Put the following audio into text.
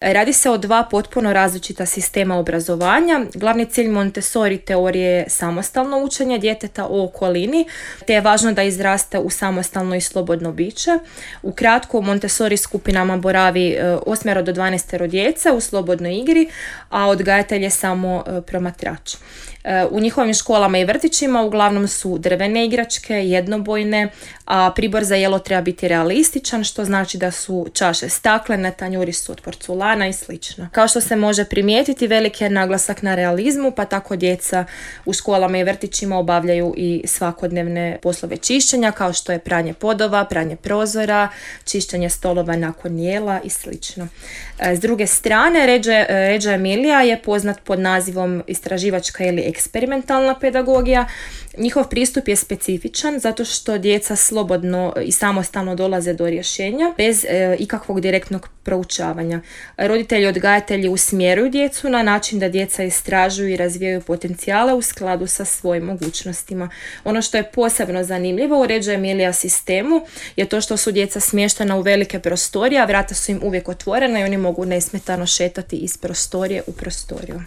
Radi se o dva potpuno različita sistema obrazovanja. Glavni cilj Montessori teorije je samostalno učenje djeteta o okolini, te je važno da izraste u samostalno i slobodno biće. Ukratko, u Montessori skupinama boravi 8 do 12 djece u slobodnoj igri, a odgajatelj je samo promatrač. U njihovim školama i vrtićima uglavnom su drvene igračke, jednobojne, a pribor za jelo treba biti realističan, što znači da su čaše staklene, tanjuri su od porculana i sl. Kao što se može primijetiti, veliki je naglasak na realizmu, pa tako djeca u školama i vrtićima obavljaju i svakodnevne poslove čišćenja, kao što je pranje podova, pranje prozora, čišćenje stolova nakon jela i sl. S druge strane, Reggio Emilia je poznat pod nazivom istraživačka ili eksperimentalna pedagogija. Njihov pristup je specifičan zato što djeca slobodno i samostalno dolaze do rješenja bez ikakvog direktnog proučavanja. Roditelji i odgajatelji usmjeruju djecu na način da djeca istražuju i razvijaju potencijale u skladu sa svojim mogućnostima. Ono što je posebno zanimljivo u Reggio Emilia sistemu je to što su djeca smještena u velike prostorije, a vrata su im uvijek otvorena i oni mogu nesmetano šetati iz prostorije u prostoriju.